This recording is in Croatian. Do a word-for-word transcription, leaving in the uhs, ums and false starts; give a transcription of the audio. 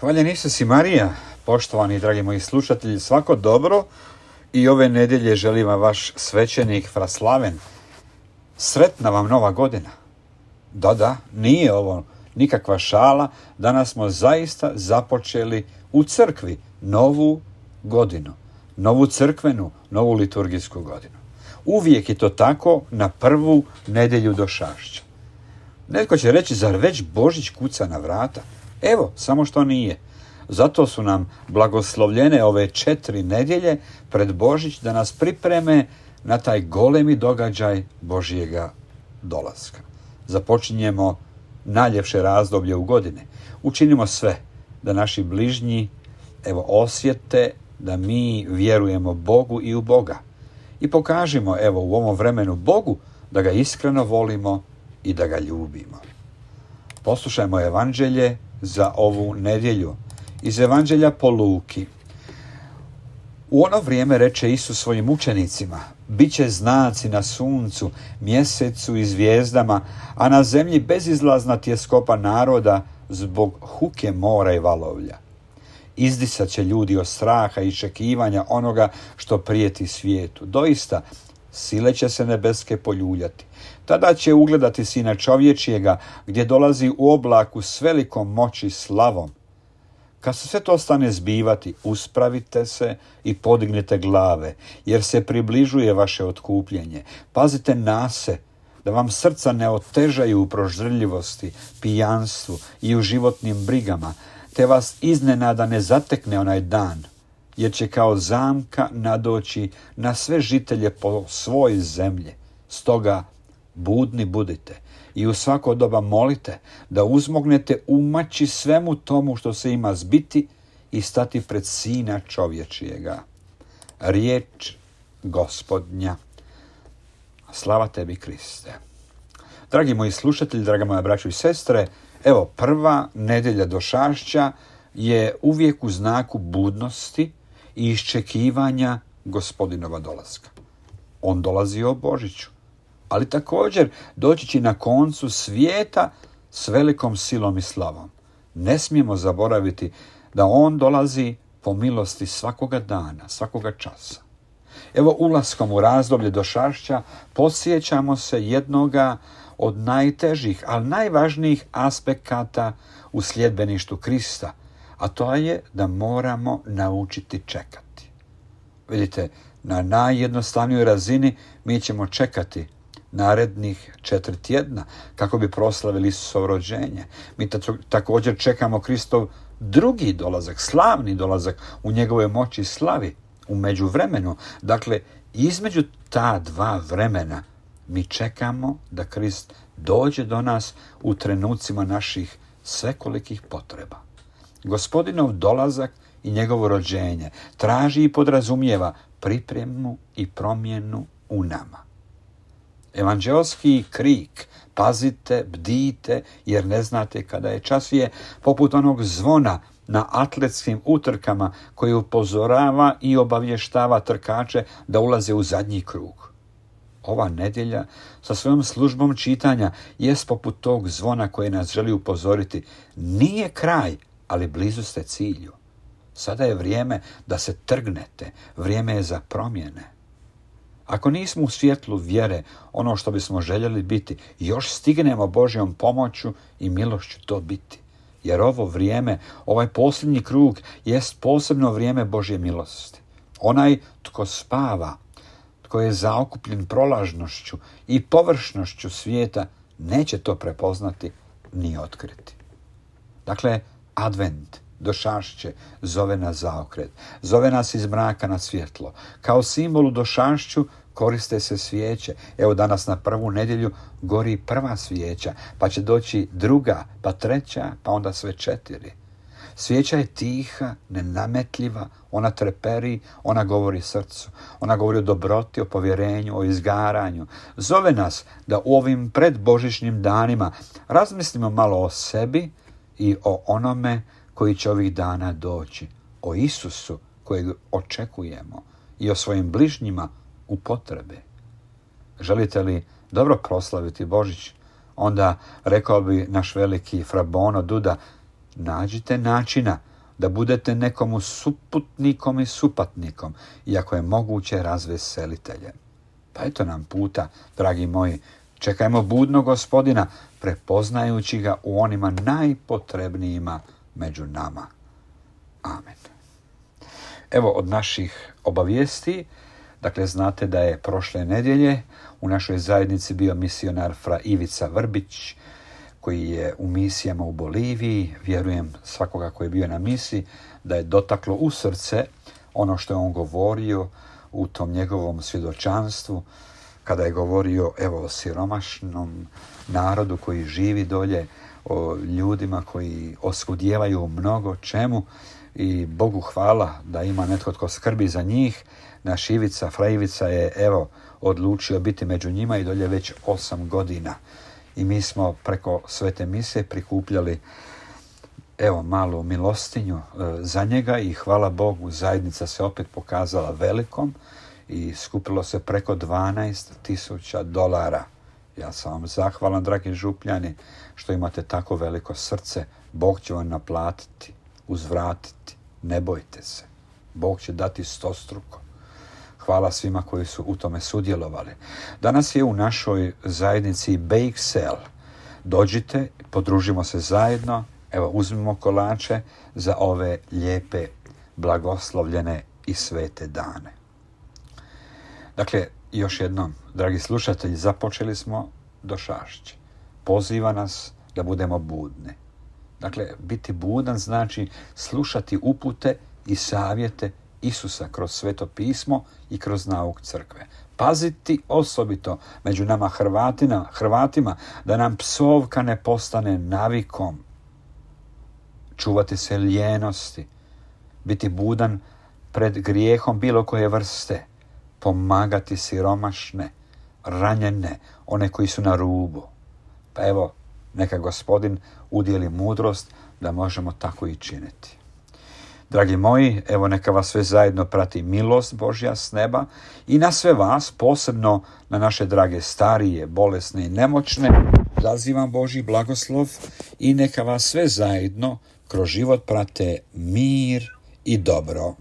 Hvaljen Isus i Marija, poštovani dragi moji slušatelji, svako dobro i ove nedjelje želim vam vaš svećenik Fra Slaven. Sretna vam nova godina. Da, da, nije ovo nikakva šala, danas smo zaista započeli u crkvi novu godinu, novu crkvenu, novu liturgijsku godinu. Uvijek je to tako na prvu nedjelju došašća. Netko će reći, zar već Božić kuca na vrata? Evo, samo što nije. Zato su nam blagoslovljene ove četiri nedjelje pred Božić da nas pripreme na taj golemi događaj Božjega dolaska. Započinjemo najljepše razdoblje u godine. Učinimo sve da naši bližnji evo osjete da mi vjerujemo Bogu i u Boga. I pokažimo evo u ovom vremenu Bogu da ga iskreno volimo i da ga ljubimo. Poslušajmo evanđelje za ovu nedjelju iz Evanđelja po Luki. U ono vrijeme reče Isus svojim učenicima: biće znaci na suncu, mjesecu i zvijezdama, a na zemlji bezizlazna tjeskoba naroda zbog huke mora i valovlja. Izdisat će ljudi od straha i iščekivanja onoga što prijeti svijetu. Doista, sile će se nebeske poljuljati. Tada će ugledati Sina čovječijega, gdje dolazi u oblaku s velikom moći i slavom. Kad se sve to stane zbivati, uspravite se i podignite glave, jer se približuje vaše otkupljenje. Pazite na se, da vam srca ne otežaju u proždrljivosti, pijanstvu i u životnim brigama, te vas iznenada ne zatekne onaj dan, jer će kao zamka nadoći na sve žitelje po svojoj zemlji. Stoga budni budite i u svako doba molite da uzmognete umaći svemu tomu što se ima zbiti i stati pred Sina čovječijega. Riječ Gospodnja. Slava tebi, Kriste. Dragi moji slušatelji, draga moja braćo i sestre, evo prva nedjelja došašća je uvijek u znaku budnosti i iščekivanja Gospodinova dolaska. On dolazi o Božiću, ali također doći će na koncu svijeta s velikom silom i slavom. Ne smijemo zaboraviti da on dolazi po milosti svakoga dana, svakoga časa. Evo ulaskom u razdoblje došašća podsjećamo se jednoga od najtežih, ali najvažnijih aspekata u sljedbeništvu Krista, a to je da moramo naučiti čekati. Vidite, na najjednostavnijoj razini mi ćemo čekati narednih četiri tjedna kako bi proslavili Isusovo rođenje. Mi također čekamo Kristov drugi dolazak, slavni dolazak u njegovoj moći i slavi u međuvremenu. Dakle, između ta dva vremena mi čekamo da Krist dođe do nas u trenucima naših svekolikih potreba. Gospodinov dolazak i njegovo rođenje traži i podrazumijeva pripremu i promjenu u nama. Evanđelski krik, pazite, bdijte, jer ne znate kada je čas, je poput onog zvona na atletskim utrkama koji upozorava i obavještava trkače da ulaze u zadnji krug. Ova nedjelja sa svojom službom čitanja jest poput tog zvona koje nas želi upozoriti. Nije kraj, ali blizu ste cilju. Sada je vrijeme da se trgnete, vrijeme je za promjene. Ako nismo u svjetlu vjere, ono što bismo željeli biti, još stignemo Božjom pomoću i milošću to biti. Jer ovo vrijeme, ovaj posljednji krug, jest posebno vrijeme Božje milosti. Onaj tko spava, tko je zaokupljen prolažnošću i površnošću svijeta, neće to prepoznati ni otkriti. Dakle, advent, došašće, zove nas zaokret, zove nas iz mraka na svjetlo. Kao simbol u došašću koriste se svijeće. Evo danas na prvu nedjelju gori prva svijeća, pa će doći druga, pa treća, pa onda sve četiri. Svijeća je tiha, nenametljiva, ona treperi, ona govori srcu, ona govori o dobroti, o povjerenju, o izgaranju. Zove nas da u ovim predbožićnim danima razmislimo malo o sebi i o onome koji će ovih dana doći, o Isusu kojeg očekujemo i o svojim bližnjima u potrebe. Želite li dobro proslaviti Božić? Onda rekao bi naš veliki Fra Bono Duda: nađite načina da budete nekomu suputnikom i supatnikom, iako je moguće razveseliteljem. Pa eto nam puta, dragi moji, čekajmo budno Gospodina, prepoznajući ga u onima najpotrebnijima među nama. Amen. Evo od naših obavijesti, dakle znate da je prošle nedjelje u našoj zajednici bio misionar fra Ivica Vrbić, koji je u misijama u Boliviji. Vjerujem svakoga koji je bio na misiji da je dotaklo u srce ono što je on govorio u tom njegovom svjedočanstvu, kada je govorio evo o siromašnom narodu koji živi dolje, o ljudima koji oskudijevaju u mnogo čemu i Bogu hvala da ima netko tko skrbi za njih. Naš Ivica, fra Ivica je evo odlučio biti među njima i dolje već osam godina. I mi smo preko svete mise prikupljali evo malu milostinju e, za njega i hvala Bogu zajednica se opet pokazala velikom i skupilo se preko dvanaest tisuća dolara. Ja sam vam zahvalan, dragi župljani, što imate tako veliko srce. Bog će vam naplatiti, uzvratiti. Ne bojte se. Bog će dati stostruko. Hvala svima koji su u tome sudjelovali. Danas je u našoj zajednici Bake Sale. Dođite, podružimo se zajedno. Evo, uzmimo kolače za ove lijepe, blagoslovljene i svete dane. Dakle, još jednom, dragi slušatelji, započeli smo do Šašće. Poziva nas da budemo budni. Dakle, biti budan znači slušati upute i savjete Isusa kroz Sveto pismo i kroz nauk crkve. Paziti osobito među nama Hrvatima, Hrvatima da nam psovka ne postane navikom. Čuvati se lijenosti, biti budan pred grijehom bilo koje vrste, pomagati siromašne, ranjene, one koji su na rubu. Pa evo, neka Gospodin udijeli mudrost da možemo tako i činiti. Dragi moji, evo neka vas sve zajedno prati milost Božja s neba i na sve vas, posebno na naše drage starije, bolesne i nemoćne, zazivam Božji blagoslov i neka vas sve zajedno kroz život prate mir i dobro.